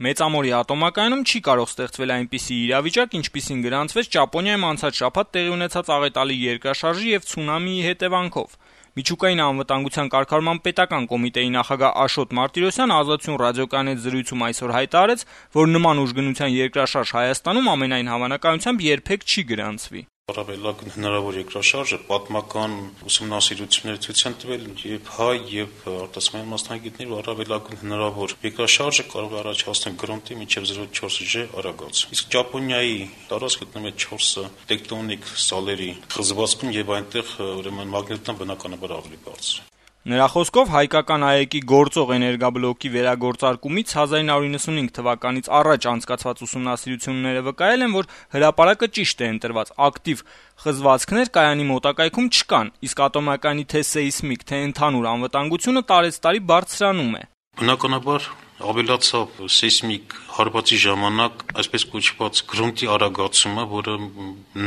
Մեծամորի ատոմակայանում չի կարող ստեղծվել այնպիսի իրավիճակ, ինչպիսին գրանցվեց Ճապոնիայում անցած շաբաթ տեղի ունեցած աղետալի երկրաշարժի եւ ցունամիի հետևանքով։ Միջուկային անվտանգության կարգավորման պետական կոմիտեի նախագահ Աշոտ Մարտիրոսյանը Ազատություն ռադիոկայանի հետ զրույցում այսօր հայտարարեց, որ նման ուժգնության երկրաշարժ Հայաստանում ամենայն հավանականությամբ երբեք չի գրանցվի։ Առավելագույն հնարավոր երկրաշարժը պատմական ուսումնասիրություններ ցույց են տվել եւ հայ եւ արտասահմանյան մասնագետներ, որ առավելագույն հնարավոր երկրաշարժը կարող է առաջացնել գրոնտի մինչեւ 0.4G արագած։ Իսկ Ճապոնիայի տարածքը գտնվում է 4 տեկտոնիկ սալերի խզվածքում եւ այնտեղ ուրեմն մագնիտն բնականաբար ավելի բարձր։ Նրա խոսքով հայկական ԱԵԿ-ի գործող էներգաբլոկի վերագործարկումից 1995 թվականից առաջ անցկացված ուսումնասիրությունները վկայել են, որ հրապարակը ճիշտ է ընտրված, ակտիվ խզվածքներ կայանի մոտակայքում չկան, իսկ ատոմակայանի թե սեյսմիկ, թե ընդհանուր անվտանգությունը տարեցտարի բարձրանում է։ Բնականաբար ավելացավ սեյսմիկ հարվածի ժամանակ այսպես կոչված գրոնտի արագացումը, որը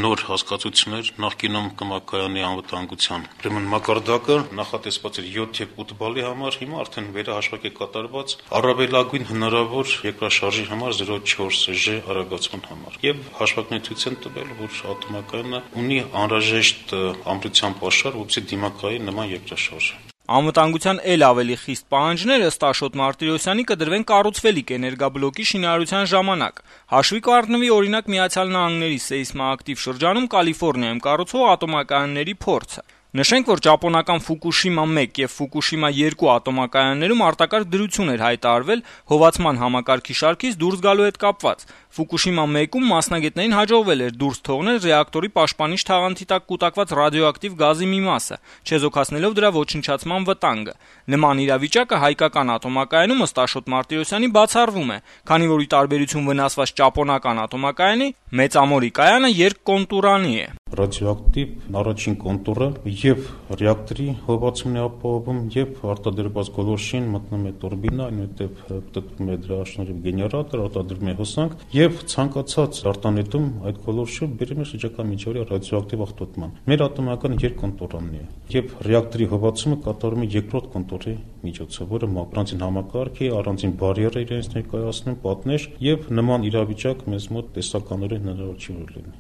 նոր հասկացություն էր նախկինում կմակայանի անվտանգության։ Ուրեմն մակարդակը նախատեսված էր 7 եւ 8 բալի համար, հիմա արդեն վերահաշվակ է կատարված առավելագույն հնարավոր երկրաշարժի համար 0.4G արագացման համար։ Եվ հաշվարկները ցույց են տվել, որ ատոմակայանը ունի անհրաժեշտ ամրության պաշար, որպեսզի դիմակայի նման երկրաշարժ։ Անվտանգության էլ ավելի խիստ պահանջները ըստ Աշոտ Մարտիրոսյանի կդրվեն կառուցվելիք էներգաբլոկի շինարարության ժամանակ։ Հաշվի կառնվի օրինակ Միացյալ Նահանգների սեյսմոակտիվ շրջանում Կալիֆոռնիայում կառուցվող ատոմակայանների փորձը։ Նշենք, որ ճապոնական Ֆուկուշիմա 1 եւ Ֆուկուշիմա 2 ատոմակայաններում արտակարգ դրություն էր հայտարարվել հովացման համակարգի շարքից դուրս գալու հետ կապված։ Ֆուկուշիմա 1-ում մասնագետներին հաջողվել էր դուրս թողնել ռեակտորի պաշտպանիչ թաղանթի տակ կուտակված ռադիոակտիվ գազի մի մասը, չեզոքացնելով դրա ոչնչացման վտանգը։ Նման իրավիճակը հայկական ատոմակայանում ըստ Աշոտ Մարտիրոսյանի բացառվում է, քանի որ ի տարբերություն վնասված ճապոնական ատոմակայանի Մեծամորի կայանը երկկոնտուրանի է։ Ռադիոակտիվ առաջին կոնտուրը եւ ռեակտորի հովացումն է ապահովում եւ արտադրված գոլորշին մտնում է տուրբինա, այնուհետեւ պտտվում է դրա շնորհիվ գեներատոր, արտադրվում է հոսանք եւ ցանկացած արտանետում այդ գոլորշը բերում է շրջակա միջավայրի ռադիոակտիվ աղտոտման։ Մեր ատոմակայանը երկկոնտուրանն է եւ ռեակտորի հովացումը կատարվում է երկրորդ կոնտուրի միջոցով, որը առանձին համակարգ է, առանձին բարիեր է իրենց ներկայացնում, պատնեշ եւ նման իրավիճակ մեզ մոտ տեսականորեն հնարավոր չի լինի։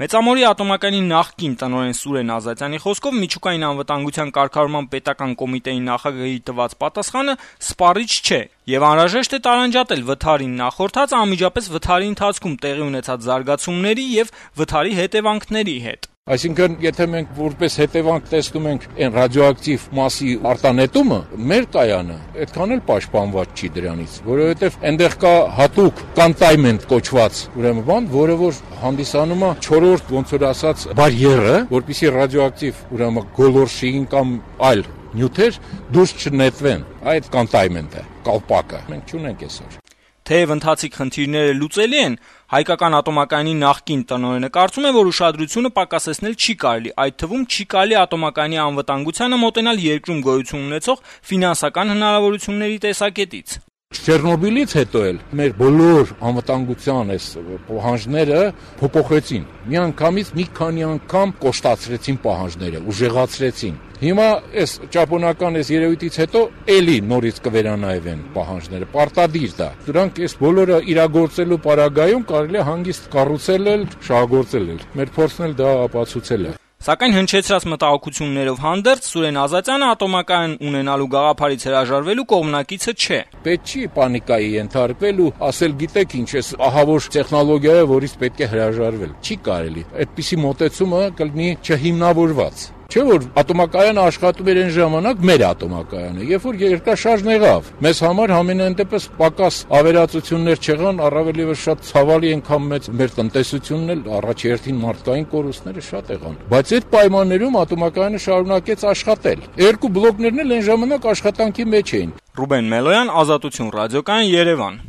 Մեծամորի ատոմակայանի նախկին տնօրեն Սուրեն Ազատյանի խոսքով միջուկային անվտանգության կարգավորման պետական կոմիտեի նախագահի տված պատասխանը սպառիչ չէ եւ անհրաժեշտ է տարանջատել վթարին նախորդած անմիջապես վթարի ընթացքում տեղի ունեցած զարգացումների եւ վթարի հետևանքների հետ։ Այսինքն, եթե մենք որպես հետևանք տեսնում ենք այն ռադիոակտիվ մասի արտանետումը, մեր կայանը այդքան էլ պաշտպանված չի դրանից, որովհետև այնտեղ կա հատուկ containment կոչված, ուրեմն բան, որը որ հանդիսանում է 4-րդ, ոնց որ ասած, բարիերը, որպեսզի ռադիոակտիվ, ուրեմն գոլորշին կամ այլ նյութեր դուրս չնետվեն։ Այդ containment-ը, կալպակը մենք չունենք այսօր։ Թեև ընթացիկ խնդիրները լուծելի են, հայկական ատոմակայանի նախկին տնօրենը կարծում է, որ ուշադրությունը պակասեցնել չի կարելի, այդ թվում չի կարելի ատոմակայանի անվտանգությանը մոտենալ երկրում գոյություն ունեցող ֆինանսական հնարավորությունների տեսակետից։ Չեռնոբիլից հետո էլ մեր բոլոր անվտանգության այս պահանջները փոփոխեցին։ Միանգամից մի քանի անգամ կոշտացրեցին պահանջները, ուժեղացրեցին։ Հիմա այս ճապոնական այս երևույթից հետո էլի նորից կվերանայվեն պահանջները, պարտադիր դա։ Դրանք այս բոլորը իրագործելու պարագայում կարելի է հանգիստ կառուցել էլ, շահագործել էլ։ Մեր փորձն էլ դա ապացուցել է։ Սակայն հնչեցրած մտահոգություններով հանդերձ Սուրեն Ազատյանը ատոմակայան ունենալու գաղափարից հրաժարվելու կողմնակիցը չէ։ Պետք չի պանիկայի ենթարկվել ու ասել գիտեք ինչ է ահավոր տեխնոլոգիա է, որից պետք է հրաժարվել։ Չի կարելի։ Այդպիսի մոտեցումը կլինի չհիմնավորված։ Չէ՞ որ ատոմակայանը աշխատում էր այն ժամանակ մեր ատոմակայանը, երբ որ երկրաշարժն եղավ։ Մեզ համար համենայն դեպս պակաս ավերածություններ չեղան, առավելևս շատ ցավալի անգամ մեծ մեր տնտեսությունն էլ առաջերտին մարդկային կորուստները շատ եղան։ Բայց այդ պայմաններում ատոմակայանը շարունակեց աշխատել։ Երկու բլոկներն էլ այն ժամանակ աշխատանքի մեջ էին։ Ռուբեն Մելոյան, Ազատություն ռադիոկայան, Երևան։